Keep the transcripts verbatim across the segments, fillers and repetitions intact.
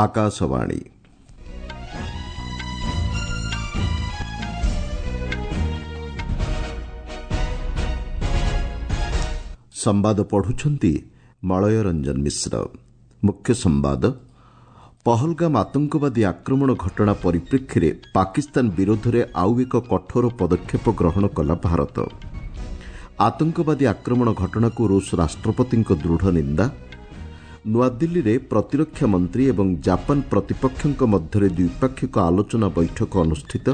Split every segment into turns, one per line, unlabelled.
ଆକାଶବାଣୀ ସମ୍ବାଦ ପଢୁଛନ୍ତି ମଳୟ ରଞ୍ଜନ ମିଶ୍ର। ମୁଖ୍ୟ ସମ୍ବାଦ। ପହଲଗାମ ଆତଙ୍କବାଦୀ ଆକ୍ରମଣ ଘଟଣା ପରିପ୍ରେକ୍ଷୀରେ ପାକିସ୍ତାନ ବିରୋଧରେ ଆଉ ଏକ କଠୋର ପଦକ୍ଷେପ ଗ୍ରହଣ କଲା ଭାରତ। ଆତଙ୍କବାଦୀ ଆକ୍ରମଣ ଘଟଣାକୁ ରୁଷ ରାଷ୍ଟ୍ରପତିଙ୍କ ଦୃଢ଼ ନିନ୍ଦା। ନୂଆଦିଲ୍ଲୀରେ ପ୍ରତିରକ୍ଷା ମନ୍ତ୍ରୀ ଏବଂ ଜାପାନ ପ୍ରତିପକ୍ଷଙ୍କ ମଧ୍ୟରେ ଦ୍ୱିପାକ୍ଷିକ ଆଲୋଚନା ବୈଠକ ଅନୁଷ୍ଠିତ।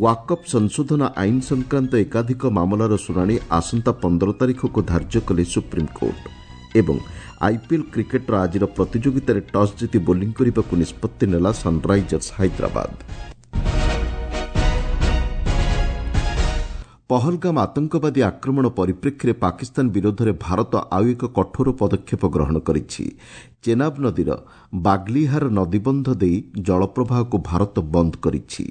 ୱାକଫ୍ ସଂଶୋଧନ ଆଇନ ସଂକ୍ରାନ୍ତ ଏକାଧିକ ମାମଲାର ଶୁଣାଣି ଆସନ୍ତା ପନ୍ଦର ତାରିଖକୁ ଧାର୍ଯ୍ୟ କଲେ ସୁପ୍ରିମକୋର୍ଟ। ଏବଂ ଆଇପିଏଲ୍ କ୍ରିକେଟ୍ର ଆଜିର ପ୍ରତିଯୋଗିତାରେ ଟସ୍ ଜିତି ବୋଲିଂ କରିବାକୁ ନିଷ୍ପତ୍ତି ନେଲା ସନ୍ରାଇଜର୍ସ ହାଇଦ୍ରାବାଦ। ପହଲଗାମ ଆତଙ୍କବାଦୀ ଆକ୍ରମଣ ପରିପ୍ରେକ୍ଷୀରେ ପାକିସ୍ତାନ ବିରୋଧରେ ଭାରତ ଆଉ ଏକ କଠୋର ପଦକ୍ଷେପ ଗ୍ରହଣ କରିଛି। ଚେନାବ ନଦୀର ବାଗ୍ଲିହାର ନଦୀବନ୍ଧ ଦେଇ ଜଳପ୍ରବାହକୁ ଭାରତ ବନ୍ଦ କରିଛି।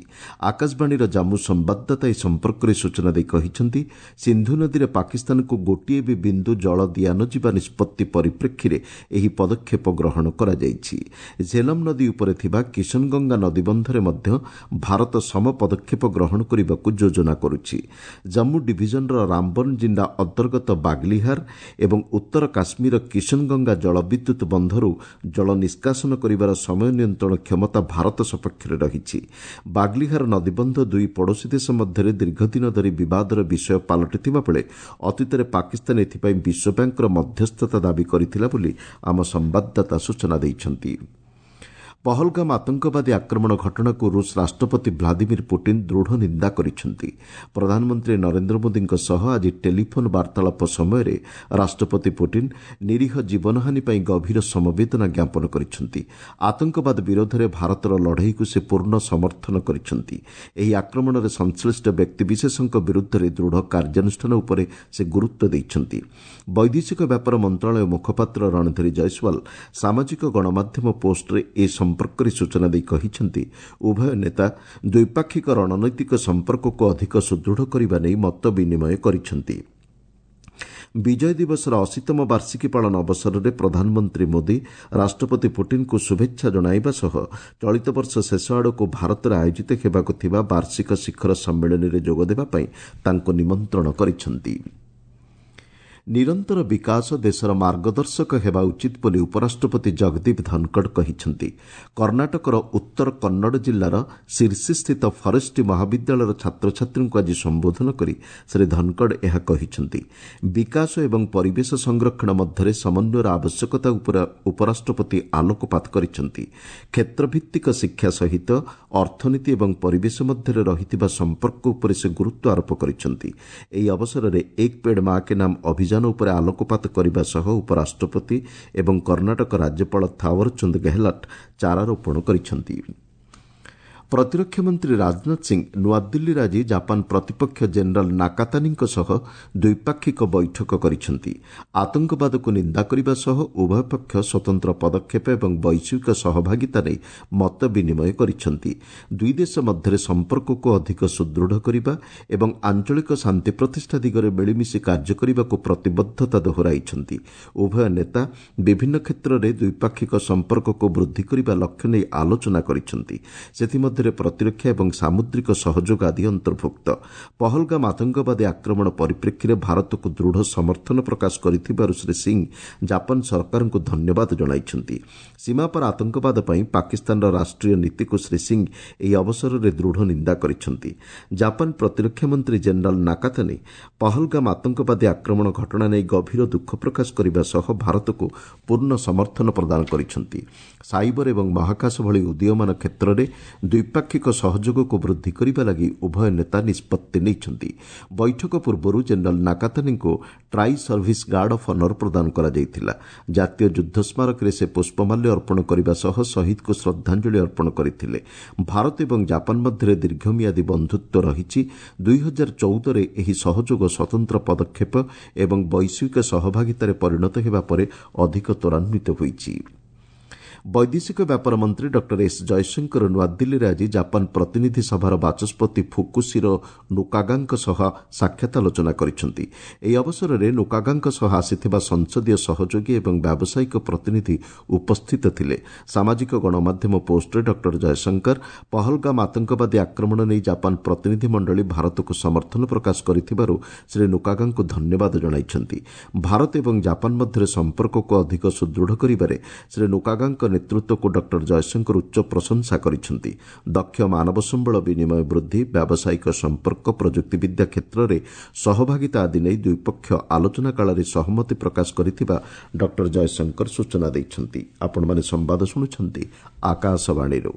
ଆକାଶବାଣୀର ଜାମ୍ମୁ ସମ୍ବାଦଦାତା ଏ ସମ୍ପର୍କରେ ସୂଚନା ଦେଇ କହିଛନ୍ତି, ସିନ୍ଧୁ ନଦୀରେ ପାକିସ୍ତାନକୁ ଗୋଟିଏ ବି ବିନ୍ଦୁ ଜଳ ଦିଆନଯିବା ନିଷ୍ପତ୍ତି ପରିପ୍ରେକ୍ଷୀରେ ଏହି ପଦକ୍ଷେପ ଗ୍ରହଣ କରାଯାଇଛି। ଝେଲମ୍ ନଦୀ ଉପରେ ଥିବା କିଶନଗଙ୍ଗା ନଦୀବନ୍ଧରେ ମଧ୍ୟ ଭାରତ ସମ ପଦକ୍ଷେପ ଗ୍ରହଣ କରିବାକୁ ଯୋଜନା କରୁଛି। ଜାମ୍ମୁ ଡିଭିଜନର ରାମବନ ଜିଲ୍ଲା ଅନ୍ତର୍ଗତ ବାଗ୍ଲିହାର ଏବଂ ଉତ୍ତର କାଶ୍ମୀରର କିଶନଗଙ୍ଗା ଜଳବିଦ୍ୟୁତ୍ ବନ୍ଧରୁ ଜଳ ନିଷ୍କାସନ କରିବାର ସମୟ ନିୟନ୍ତ୍ରଣ କ୍ଷମତା ଭାରତ ସପକ୍ଷରେ ରହିଛି। ବାଗ୍ଲିହାର ନଦୀବନ୍ଧ ଦୁଇ ପଡ଼ୋଶୀ ଦେଶ ମଧ୍ୟରେ ଦୀର୍ଘଦିନ ଧରି ବିବାଦର ବିଷୟ ପାଲଟିଥିବା ବେଳେ ଅତୀତରେ ପାକିସ୍ତାନ ଏଥିପାଇଁ ବିଶ୍ୱବ୍ୟାଙ୍କର ମଧ୍ୟସ୍ଥତା ଦାବି କରିଥିଲା ବୋଲି ଆମ ସମ୍ବାଦଦାତା ସୂଚନା ଦେଇଛନ୍ତି। ପହଲଗାମ ଆତଙ୍କବାଦୀ ଆକ୍ରମଣ ଘଟଣାକୁ ରୁଷ ରାଷ୍ଟ୍ରପତି ଭ୍ଲାଦିମିର ପୁଟିନ୍ ଦୃଢ଼ ନିନ୍ଦା କରିଛନ୍ତି। ପ୍ରଧାନମନ୍ତ୍ରୀ ନରେନ୍ଦ୍ର ମୋଦିଙ୍କ ସହ ଆଜି ଟେଲିଫୋନ୍ ବାର୍ତ୍ତାଳାପ ସମୟରେ ରାଷ୍ଟ୍ରପତି ପୁଟିନ୍ ନିରୀହ ଜୀବନହାନି ପାଇଁ ଗଭୀର ସମବେଦନା ଜ୍ଞାପନ କରିଛନ୍ତି। ଆତଙ୍କବାଦ ବିରୋଧରେ ଭାରତର ଲଢ଼େଇକୁ ସେ ପୂର୍ଣ୍ଣ ସମର୍ଥନ କରିଛନ୍ତି। ଏହି ଆକ୍ରମଣରେ ସଂଶ୍ଳିଷ୍ଟ ବ୍ୟକ୍ତିବିଶେଷଙ୍କ ବିରୁଦ୍ଧରେ ଦୃଢ଼ କାର୍ଯ୍ୟାନୁଷ୍ଠାନ ଉପରେ ସେ ଗୁରୁତ୍ୱ ଦେଇଛନ୍ତି। ବୈଦେଶିକ ବ୍ୟାପାର ମନ୍ତ୍ରଣାଳୟ ମୁଖପାତ୍ର ରଣଧୀର ଜୟସ୍ୱାଲ ସାମାଜିକ ଗଣମାଧ୍ୟମ ପୋଷ୍ଟରେ ଏ ସମ୍ପର୍କରେ ସୂଚନା ଦେଇ କହିଛନ୍ତି, ଉଭୟ ନେତା ଦ୍ୱିପାକ୍ଷିକ ରଣନୈତିକ ସମ୍ପର୍କକୁ ଅଧିକ ସୁଦୃଢ଼ କରିବା ନେଇ ମତ ବିନିମୟ କରିଛନ୍ତି। ବିଜୟ ଦିବସର ଅଶୀତମ ବାର୍ଷିକୀ ପାଳନ ଅବସରରେ ପ୍ରଧାନମନ୍ତ୍ରୀ ମୋଦି ରାଷ୍ଟ୍ରପତି ପୁଟିନ୍ଙ୍କୁ ଶୁଭେଚ୍ଛା ଜଣାଇବା ସହ ଚଳିତ ବର୍ଷ ଶେଷ ଆଡ଼କୁ ଭାରତରେ ଆୟୋଜିତ ହେବାକୁ ଥିବା ବାର୍ଷିକ ଶିଖର ସମ୍ମିଳନୀରେ ଯୋଗଦେବା ପାଇଁ ତାଙ୍କୁ ନିମନ୍ତ୍ରଣ କରିଛନ୍ତି। ନିରନ୍ତର ବିକାଶ ଦେଶର ମାର୍ଗଦର୍ଶକ ହେବା ଉଚିତ ବୋଲି ଉପରାଷ୍ଟ୍ରପତି ଜଗଦୀପ ଧନଖଡ଼ କହିଛନ୍ତି। କର୍ଣ୍ଣାଟକର ଉତ୍ତର କନ୍ନଡ଼ ଜିଲ୍ଲାର ସିର୍ସିସ୍ଥିତ ଫରେଷ୍ଟ୍ରି ମହାବିଦ୍ୟାଳୟର ଛାତ୍ରଛାତ୍ରୀଙ୍କୁ ଆଜି ସମ୍ବୋଧନ କରି ଶ୍ରୀ ଧନଖଡ଼ ଏହା କହିଛନ୍ତି। ବିକାଶ ଏବଂ ପରିବେଶ ସଂରକ୍ଷଣ ମଧ୍ୟରେ ସମନ୍ୱୟର ଆବଶ୍ୟକତା ଉପରେ ଉପରାଷ୍ଟ୍ରପତି ଆଲୋକପାତ କରିଛନ୍ତି। କ୍ଷେତ୍ରଭିତ୍ତିକ ଶିକ୍ଷା ସହିତ ଅର୍ଥନୀତି ଏବଂ ପରିବେଶ ମଧ୍ୟରେ ରହିଥିବା ସମ୍ପର୍କ ଉପରେ ସେ ଗୁରୁତ୍ୱ ଆରୋପ କରିଛନ୍ତି। ଏହି ଅବସରରେ ଏକ ପେଡ୍ ମା କେ ନାମ ଅଭିଯାନ ଉପରେ ଆଲୋକପାତ କରିବା ସହ ଉପରାଷ୍ଟ୍ରପତି ଏବଂ କର୍ଣ୍ଣାଟକ ରାଜ୍ୟପାଳ ଥାୱରଚନ୍ଦ ଗେହଲଟ୍ ଚାରାରୋପଣ କରିଛନ୍ତି। ପ୍ରତିରକ୍ଷା ମନ୍ତ୍ରୀ ରାଜନାଥ ସିଂ ନୂଆଦିଲ୍ଲୀରେ ଆଜି ଜାପାନ ପ୍ରତିପକ୍ଷ ଜେନେରାଲ୍ ନାକାତାନିଙ୍କ ସହ ଦ୍ୱିପାକ୍ଷିକ ବୈଠକ କରିଛନ୍ତି। ଆତଙ୍କବାଦକୁ ନିନ୍ଦା କରିବା ସହ ଉଭୟ ପକ୍ଷ ସ୍ୱତନ୍ତ୍ର ପଦକ୍ଷେପ ଏବଂ ବୈଶ୍ୱିକ ସହଭାଗିତା ନେଇ ମତ ବିନିମୟ କରିଛନ୍ତି। ଦୁଇ ଦେଶ ମଧ୍ୟରେ ସମ୍ପର୍କକୁ ଅଧିକ ସୁଦୃଢ଼ କରିବା ଏବଂ ଆଞ୍ଚଳିକ ଶାନ୍ତି ପ୍ରତିଷ୍ଠା ଦିଗରେ ମିଳିମିଶି କାର୍ଯ୍ୟ କରିବାକୁ ପ୍ରତିବଦ୍ଧତା ଦୋହରାଇଛନ୍ତି। ଉଭୟ ନେତା ବିଭିନ୍ନ କ୍ଷେତ୍ରରେ ଦ୍ୱିପାକ୍ଷିକ ସମ୍ପର୍କକୁ ବୃଦ୍ଧି କରିବା ଲକ୍ଷ୍ୟ ନେଇ ଆଲୋଚନା କରିଛନ୍ତି। ସେଥିମଧ୍ୟରେ ପ୍ରତିରକ୍ଷା ଏବଂ ସାମୁଦ୍ରିକ ସହଯୋଗ ଆଦି ଅନ୍ତର୍ଭୁକ୍ତ। ପହଲଗାମ ଆତଙ୍କବାଦୀ ଆକ୍ରମଣ ପରିପ୍ରେକ୍ଷୀରେ ଭାରତକୁ ଦୃଢ଼ ସମର୍ଥନ ପ୍ରକାଶ କରିଥିବାରୁ ଶ୍ରୀ ସିଂ ଜାପାନ ସରକାରଙ୍କୁ ଧନ୍ୟବାଦ ଜଣାଇଛନ୍ତି। ସୀମାପାର ଆତଙ୍କବାଦ ପାଇଁ ପାକିସ୍ତାନର ରାଷ୍ଟ୍ରୀୟ ନୀତିକୁ ଶ୍ରୀ ସିଂ ଏହି ଅବସରରେ ଦୃଢ଼ ନିନ୍ଦା କରିଛନ୍ତି। ଜାପାନ ପ୍ରତିରକ୍ଷା ମନ୍ତ୍ରୀ ଜେନେରାଲ୍ ନାକାତାନି ପହଲଗାମ ଆତଙ୍କବାଦୀ ଆକ୍ରମଣ ଘଟଣା ନେଇ ଗଭୀର ଦୁଃଖ ପ୍ରକାଶ କରିବା ସହ ଭାରତକୁ ପୂର୍ଣ୍ଣ ସମର୍ଥନ ପ୍ରଦାନ କରିଛନ୍ତି। ସାଇବର ଏବଂ ମହାକାଶ ଭଳି ଉଦୀୟମାନ କ୍ଷେତ୍ରରେ ଦ୍ୱିପାକ୍ଷିକ ସହଯୋଗକୁ ବୃଦ୍ଧି କରିବା ଲାଗି ଉଭୟ ନେତା ନିଷ୍ପତ୍ତି ନେଇଛନ୍ତି। ବୈଠକ ପୂର୍ବରୁ general ନାକାତାନିଙ୍କୁ tri service guard of honour ପ୍ରଦାନ କରାଯାଇଥିଲା। ଜାତୀୟ ଯୁଦ୍ଧ ସ୍ମାରକୀରେ ସେ ପୁଷ୍ପମାଲ୍ୟ ଅର୍ପଣ କରିବା ସହ ଶହୀଦଙ୍କୁ ଶ୍ରଦ୍ଧାଞ୍ଜଳି ଅର୍ପଣ କରିଥିଲେ। ଭାରତ ଏବଂ ଜାପାନ ମଧ୍ୟରେ ଦୀର୍ଘମିଆଦୀ ବନ୍ଧୁତ୍ୱ ରହିଛି। ଦୁଇ ହଜାର ଚଉଦରେ ଏହି ସହଯୋଗ ସ୍ୱତନ୍ତ୍ର ପଦକ୍ଷେପ ଏବଂ ବୈଶ୍ୱିକ ସହଭାଗିତାରେ ପରିଣତ ହେବା ପରେ ଅଧିକ ତ୍ୱରାନ୍ୱିତ ହୋଇଛି। ବୈଦେଶିକ ବ୍ୟାପାର ମନ୍ତ୍ରୀ ଡକ୍ଟର ଏସ୍ ଜୟଶଙ୍କର ନୂଆଦିଲ୍ଲୀରେ ଆଜି ଜାପାନ ପ୍ରତିନିଧି ସଭାର ବାଚସ୍ପତି ଫୁକୁଶିରୋ ନୋକାଗାଙ୍କ ସହ ସାକ୍ଷାତ ଆଲୋଚନା କରିଛନ୍ତି। ଏହି ଅବସରରେ ନୋକାଗାଙ୍କ ସହ ଆସିଥିବା ସଂସଦୀୟ ସହଯୋଗୀ ଏବଂ ବ୍ୟାବସାୟିକ ପ୍ରତିନିଧି ଉପସ୍ଥିତ ଥିଲେ। ସାମାଜିକ ଗଣମାଧ୍ୟମ ପୋଷ୍ଟରେ ଡକ୍ଟର ଜୟଶଙ୍କର ପହଲଗାମ ଆତଙ୍କବାଦୀ ଆକ୍ରମଣ ନେଇ ଜାପାନ ପ୍ରତିନିଧି ମଣ୍ଡଳୀ ଭାରତକୁ ସମର୍ଥନ ପ୍ରକାଶ କରିଥିବାରୁ ଶ୍ରୀ ନୋକାଗାଙ୍କୁ ଧନ୍ୟବାଦ ଜଣାଇଛନ୍ତି। ଭାରତ ଏବଂ ଜାପାନ ମଧ୍ୟରେ ସମ୍ପର୍କକୁ ଅଧିକ ସୁଦୃଢ଼ କରିବାରେ ଶ୍ରୀ ନୋକାଗାଙ୍କ ନେତୃତ୍ୱକୁ ଡକ୍ଟର ଜୟଶଙ୍କର ଉଚ୍ଚ ପ୍ରଶଂସା କରିଛନ୍ତି। ଦକ୍ଷ ମାନବ ସମ୍ବଳ ବିନିମୟ ବୃଦ୍ଧି, ବ୍ୟାବସାୟିକ ସମ୍ପର୍କ, ପ୍ରଯୁକ୍ତିବିଦ୍ୟା କ୍ଷେତ୍ରରେ ସହଭାଗିତା ଆଦି ନେଇ ଦୁଇପକ୍ଷ ଆଲୋଚନା କାଳରେ ସହମତି ପ୍ରକାଶ କରିଥିବା ଡକ୍ଟର ଜୟଶଙ୍କର ସୂଚନା ଦେଇଛନ୍ତି। ଆପଣମାନେ ସମ୍ବାଦ ଶୁଣୁଛନ୍ତି ଆକାଶବାଣୀରୁ।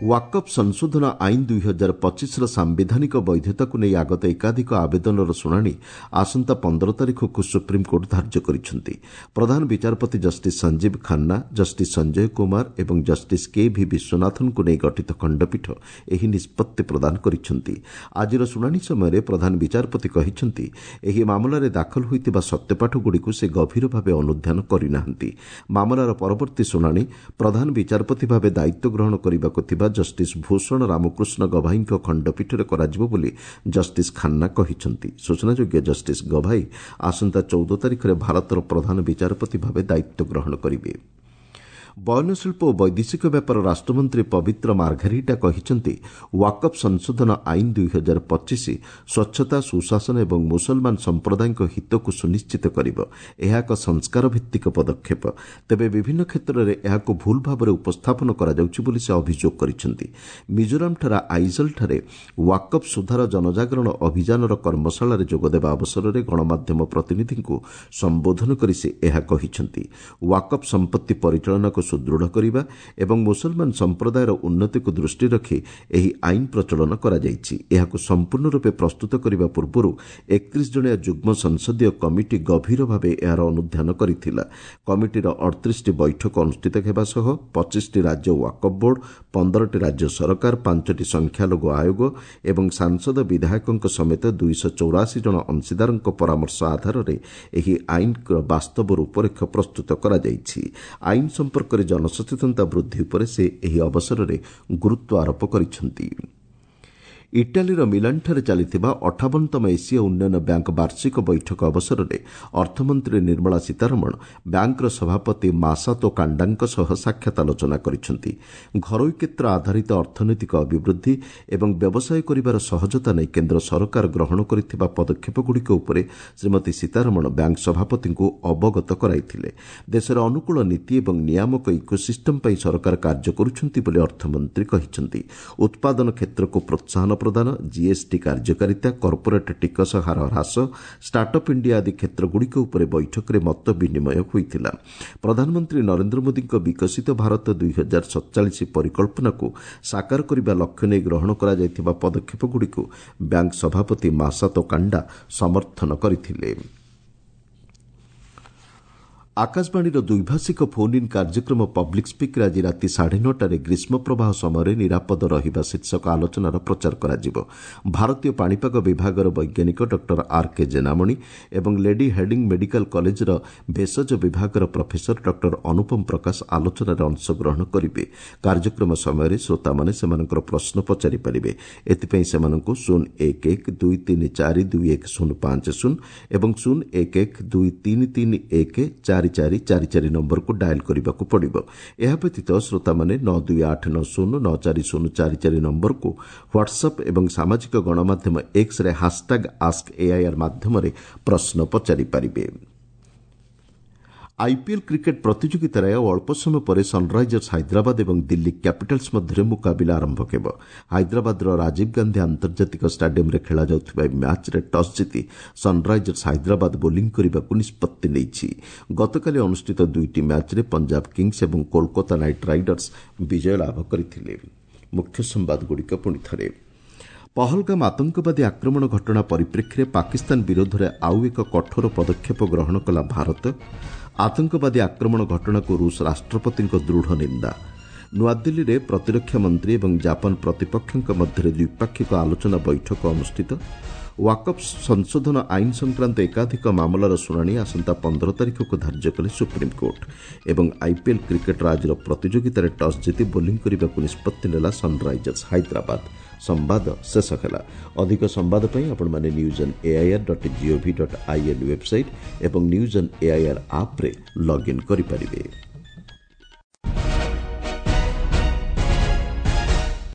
ୱାକଫ୍ ସଂଶୋଧନ ଆଇନ ଦୁଇ ହଜାର ପଚିଶର ସାମ୍ବିଧାନିକ ବୈଧତାକୁ ନେଇ ଆଗତ ଏକାଧିକ ଆବେଦନର ଶୁଣାଣି ଆସନ୍ତା ପନ୍ଦର ତାରିଖକୁ ସୁପ୍ରିମକୋର୍ଟ ଧାର୍ଯ୍ୟ କରିଛନ୍ତି। ପ୍ରଧାନ ବିଚାରପତି ଜଷ୍ଟିସ୍ ସଞ୍ଜୀବ ଖାନ୍ନା, ଜଷ୍ଟିସ୍ ସଞ୍ଜୟ କୁମାର ଏବଂ ଜଷ୍ଟିସ୍ କେ ଭି ବିଶ୍ୱନାଥନଙ୍କୁ ନେଇ ଗଠିତ ଖଣ୍ଡପୀଠ ଏହି ନିଷ୍ପତ୍ତି ପ୍ରଦାନ କରିଛନ୍ତି। ଆଜିର ଶୁଣାଣି ସମୟରେ ପ୍ରଧାନ ବିଚାରପତି କହିଛନ୍ତି, ଏହି ମାମଲାରେ ଦାଖଲ ହୋଇଥିବା ସତ୍ୟପାଠଗୁଡ଼ିକୁ ସେ ଗଭୀର ଭାବେ ଅନୁଧ୍ୟାନ କରିନାହାନ୍ତି। ମାମଲାର ପରବର୍ତ୍ତୀ ଶୁଣାଣି ପ୍ରଧାନ ବିଚାରପତି ଭାବେ ଦାୟିତ୍ୱ ଗ୍ରହଣ କରିବାକୁ ଥିବା ଜଷ୍ଟିସ୍ ଭୂଷଣ ରାମକୃଷ୍ଣ ଗଭାଇଙ୍କ ଖଣ୍ଡପୀଠରେ କରାଯିବ ବୋଲି ଜଷ୍ଟିସ୍ ଖାନ୍ନା କହିଛନ୍ତି। ସୂଚନାଯୋଗ୍ୟ, ଜଷ୍ଟିସ୍ ଗଭାଇ ଆସନ୍ତା ଚଉଦ ତାରିଖରେ ଭାରତର ପ୍ରଧାନ ବିଚାରପତି ଭାବେ ଦାୟିତ୍ୱ ଗ୍ରହଣ କରିବେ। ବୟନଶିଳ୍ପ ଓ ବୈଦେଶିକ ବ୍ୟାପାର ରାଷ୍ଟ୍ରମନ୍ତ୍ରୀ ପବିତ୍ର ମାର୍ଘେରିଟା କହିଛନ୍ତି, ୱାକଫ୍ ସଂଶୋଧନ ଆଇନ ଦୁଇ ହଜାର ପଚିଶ ସ୍ୱଚ୍ଛତା, ସୁଶାସନ ଏବଂ ମୁସଲମାନ ସମ୍ପ୍ରଦାୟଙ୍କ ହିତକୁ ସୁନିଶ୍ଚିତ କରିବ। ଏହା ଏକ ସଂସ୍କାର ଭିତ୍ତିକ ପଦକ୍ଷେପ। ତେବେ ବିଭିନ୍ନ କ୍ଷେତ୍ରରେ ଏହାକୁ ଭୁଲ ଭାବରେ ଉପସ୍ଥାପନ କରାଯାଉଛି ବୋଲି ସେ ଅଭିଯୋଗ କରିଛନ୍ତି। ମିଜୋରାମଠାରେ ଆଇଜଲଠାରେ ୱାକଫ୍ ସୁଧାର ଜନଜାଗରଣ ଅଭିଯାନର କର୍ମଶାଳାରେ ଯୋଗଦେବା ଅବସରରେ ଗଣମାଧ୍ୟମ ପ୍ରତିନିଧିଙ୍କୁ ସମ୍ବୋଧନ କରି ସେ ଏହା କହିଛନ୍ତି। ୱାକଫ୍ ସମ୍ପତ୍ତି ପରିଚାଳନାକୁ ସୁଦୃଢ଼ କରିବା ଏବଂ ମୁସଲମାନ ସମ୍ପ୍ରଦାୟର ଉନ୍ନତିକୁ ଦୃଷ୍ଟିରେ ରଖି ଏହି ଆଇନ ପ୍ରଚଳନ କରାଯାଇଛି। ଏହାକୁ ସମ୍ପୂର୍ଣ୍ଣ ରୂପେ ପ୍ରସ୍ତୁତ କରିବା ପୂର୍ବରୁ ଏକତିରିଶ ଜଣିଆ ଯୁଗ୍ମ ସଂସଦୀୟ କମିଟି ଗଭୀର ଭାବେ ଏହାର ଅନୁଧ୍ୟାନ କରିଥିଲା। କମିଟିର ଅଠତିରିଶଟି ବୈଠକ ଅନୁଷ୍ଠିତ ହେବା ସହ ପଚିଶଟି ରାଜ୍ୟ ୱାକଫ୍ ବୋର୍ଡ, ପନ୍ଦରଟି ରାଜ୍ୟ ସରକାର, ପାଞ୍ଚଟି ସଂଖ୍ୟାଲଘୁ ଆୟୋଗ ଏବଂ ସାଂସଦ ବିଧାୟକଙ୍କ ସମେତ ଦୁଇଶହ ଚଉରାଅଶୀ ଜଣ ଅଂଶୀଦାରଙ୍କ ପରାମର୍ଶ ଆଧାରରେ ଏହି ଆଇନର ବାସ୍ତବ ରୂପରେଖ ପ୍ରସ୍ତୁତ କରାଯାଇଛି। ଆଇନ ସମ୍ପର୍କରେ ଜନସଚେତନତା ବୃଦ୍ଧି ଉପରେ ସେ ଏହି ଅବସରରେ ଗୁରୁତ୍ୱ ଆରୋପ କରିଛନ୍ତି। ଇଟାଲୀର ମିଲାନଠାରେ ଚାଲିଥିବା ଅଠାବନତମ ଏସୀୟ ଉନ୍ନୟନ ବ୍ୟାଙ୍କ ବାର୍ଷିକ ବୈଠକ ଅବସରରେ ଅର୍ଥମନ୍ତ୍ରୀ ନିର୍ମଳା ସୀତାରମଣ ବ୍ୟାଙ୍କର ସଭାପତି ମାସାତୋ କାଣ୍ଡାଙ୍କ ସହ ସାକ୍ଷାତ ଆଲୋଚନା କରିଛନ୍ତି। ଘରୋଇ କ୍ଷେତ୍ର ଆଧାରିତ ଅର୍ଥନୈତିକ ଅଭିବୃଦ୍ଧି ଏବଂ ବ୍ୟବସାୟ କରିବାର ସହଜତା ନେଇ କେନ୍ଦ୍ର ସରକାର ଗ୍ରହଣ କରିଥିବା ପଦକ୍ଷେପଗୁଡ଼ିକ ଉପରେ ଶ୍ରୀମତୀ ସୀତାରମଣ ବ୍ୟାଙ୍କ ସଭାପତିଙ୍କୁ ଅବଗତ କରାଇଥିଲେ। ଦେଶରେ ଅନୁକୂଳ ନୀତି ଏବଂ ନିୟାମକ ଇକୋସିଷ୍ଟମ ପାଇଁ ସରକାର କାର୍ଯ୍ୟ କରୁଛନ୍ତି ବୋଲି ଅର୍ଥମନ୍ତ୍ରୀ କହିଛନ୍ତି। ଉତ୍ପାଦନ କ୍ଷେତ୍ରକୁ ପ୍ରୋତ୍ସାହନ ପ୍ରଦାନ, ଜିଏସ୍ଟି କାର୍ଯ୍ୟକାରିତା, କର୍ପୋରେଟ୍ ଟିକସ ହାର ହ୍ରାସ, ଷ୍ଟାର୍ଟଅପ୍ ଇଣ୍ଡିଆ ଆଦି କ୍ଷେତ୍ରଗୁଡ଼ିକ ଉପରେ ବୈଠକରେ ମତ ବିନିମୟ ହୋଇଥିଲା। ପ୍ରଧାନମନ୍ତ୍ରୀ ନରେନ୍ଦ୍ର ମୋଦିଙ୍କ ବିକଶିତ ଭାରତ ଦୁଇ ହଜାର ସତଚାଳିଶ ପରିକଳ୍ପନାକୁ ସାକାର କରିବା ଲକ୍ଷ୍ୟ ନେଇ ଗ୍ରହଣ କରାଯାଇଥିବା ପଦକ୍ଷେପଗୁଡ଼ିକୁ ବ୍ୟାଙ୍କ ସଭାପତି ମାସାତୋ କାଣ୍ଡା ସମର୍ଥନ କରିଥିଲେ। ଆକାଶବାଣୀର ଦ୍ୱିଭାଷିକ ଫୋନ୍ ଇନ୍ କାର୍ଯ୍ୟକ୍ରମ ପବ୍ଲିକ୍ ସ୍ପିକ୍ରେ ଆଜି ରାତି ସାଢ଼େ ନଅଟାରେ ଗ୍ରୀଷ୍ମ ପ୍ରବାହ ସମୟରେ ନିରାପଦ ରହିବା ଶୀର୍ଷକ ଆଲୋଚନାର ପ୍ରଚାର କରାଯିବ। ଭାରତୀୟ ପାଣିପାଗ ବିଭାଗର ବୈଜ୍ଞାନିକ ଡକ୍ଟର ଆର୍ କେ ଜେନାମଣି ଏବଂ ଲେଡି ହେଡିଂ ମେଡିକାଲ କଲେଜର ଭେଷଜ ବିଭାଗର ପ୍ରଫେସର ଡକ୍ଟର ଅନୁପମ ପ୍ରକାଶ ଆଲୋଚନାରେ ଅଂଶଗ୍ରହଣ କରିବେ। କାର୍ଯ୍ୟକ୍ରମ ସମୟରେ ଶ୍ରୋତାମାନେ ସେମାନଙ୍କର ପ୍ରଶ୍ନ ପଚାରିପାରିବେ। ଏଥିପାଇଁ ସେମାନଙ୍କୁ ଶୂନ ଏକ ଏକ ଦୁଇ ତିନି ଚାରି ଦୁଇ ଏକ ଶୂନ ପାଞ୍ଚ ଶୂନ ଏବଂ ଶୂନ ଏକ ଏକ ଦୁଇ ତିନି ତିନି ଏକ ଚାରି ଚାରି ଚାରି ଚାରି ନମ୍ବରକୁ ଡାଏଲ୍ କରିବାକୁ ପଡ଼ିବ। ଏହା ବ୍ୟତୀତ ଶ୍ରୋତାମାନେ ନଅ ଦୁଇ ଆଠ ନଅ ଶୂନ ନଅ ଚାରି ଶୂନ ଚାରି ଚାରି ନମ୍ବରକୁ ହ୍ୱାଟ୍ସଆପ୍ ଏବଂ ସାମାଜିକ ଗଣମାଧ୍ୟମ ଏକ୍ସରେ ହାସ୍ଟ୍ୟାଗ୍ ଆସ୍କ ଏଆଇଆର୍ ମାଧ୍ୟମରେ ପ୍ରଶ୍ନ ପଚାରିପାରିବେ। ଆଇପିଏଲ୍ କ୍ରିକେଟ୍ ପ୍ରତିଯୋଗିତାରେ ଆଉ ଅଳ୍ପ ସମୟ ପରେ ସନ୍ରାଇଜର୍ସ ହାଇଦ୍ରାବାଦ ଏବଂ ଦିଲ୍ଲୀ କ୍ୟାପିଟାଲ୍ସ ମଧ୍ୟରେ ମୁକାବିଲା ଆରମ୍ଭ ହେବ। ହାଇଦ୍ରାବାଦର ରାଜୀବ ଗାନ୍ଧୀ ଆନ୍ତର୍ଜାତିକ ଷ୍ଟାଡିୟମ୍ରେ ଖେଳାଯାଉଥିବା ଏହି ମ୍ୟାଚ୍ରେ ଟସ୍ ଜିତି ସନ୍ରାଇଜର୍ସ ହାଇଦ୍ରାବାଦ ବୋଲିଂ କରିବାକୁ ନିଷ୍ପତ୍ତି ନେଇଛି। ଗତକାଲି ଅନୁଷ୍ଠିତ ଦୁଇଟି ମ୍ୟାଚ୍ରେ ପଞ୍ଜାବ କିଙ୍ଗସ୍ ଏବଂ କୋଲକାତା ନାଇଟ୍ ରାଇଡର୍ସ ବିଜୟ ଲାଭ କରିଥିଲେ। ମୁଖ୍ୟ ସମ୍ବାଦଗୁଡ଼ିକ ପୁଣି ଥରେ। ପହଲଗାମ ଆତଙ୍କବାଦୀ ଆକ୍ରମଣ ଘଟଣା ପରିପ୍ରେକ୍ଷୀରେ ପାକିସ୍ତାନ ବିରୋଧରେ ଆଉ ଏକ କଠୋର ପଦକ୍ଷେପ ଗ୍ରହଣ କଲା ଭାରତ। ଆତଙ୍କବାଦୀ ଆକ୍ରମଣ ଘଟଣାକୁ ରୁଷ ରାଷ୍ଟ୍ରପତିଙ୍କ ଦୃଢ଼ ନିନ୍ଦା। ନୂଆଦିଲ୍ଲୀରେ ପ୍ରତିରକ୍ଷା ମନ୍ତ୍ରୀ ଏବଂ ଜାପାନ ପ୍ରତିପକ୍ଷଙ୍କ ମଧ୍ୟରେ ଦ୍ୱିପାକ୍ଷିକ ଆଲୋଚନା ବୈଠକ ଅନୁଷ୍ଠିତ। ୱାକଫ୍ ସଂଶୋଧନ ଆଇନ ସଂକ୍ରାନ୍ତ ଏକାଧିକ ମାମଲାର ଶୁଣାଣି ଆସନ୍ତା ପନ୍ଦର ତାରିଖକୁ ଧାର୍ଯ୍ୟ କଲେ ସୁପ୍ରିମକୋର୍ଟ ଏବଂ ଆଇପିଏଲ୍ କ୍ରିକେଟ୍ର ଆଜିର ପ୍ରତିଯୋଗିତାରେ ଟସ୍ ଜିତି ବୋଲିଂ କରିବାକୁ ନିଷ୍ପତ୍ତି ନେଲା ସନ୍ରାଇଜର୍ସ ହାଇଦ୍ରାବାଦ ସମ୍ବାଦ ଶେଷ ହେଲା ଅଧିକ ସମ୍ବାଦ ପାଇଁ ଆପଣମାନେ news on AIR dot gov dot in website ଏବଂ ନ୍ୟୁଜ୍ ଅନ୍ ଏଆଇଆର୍ ଆପ୍ରେ ଲଗ୍ଇନ୍ କରିପାରିବେ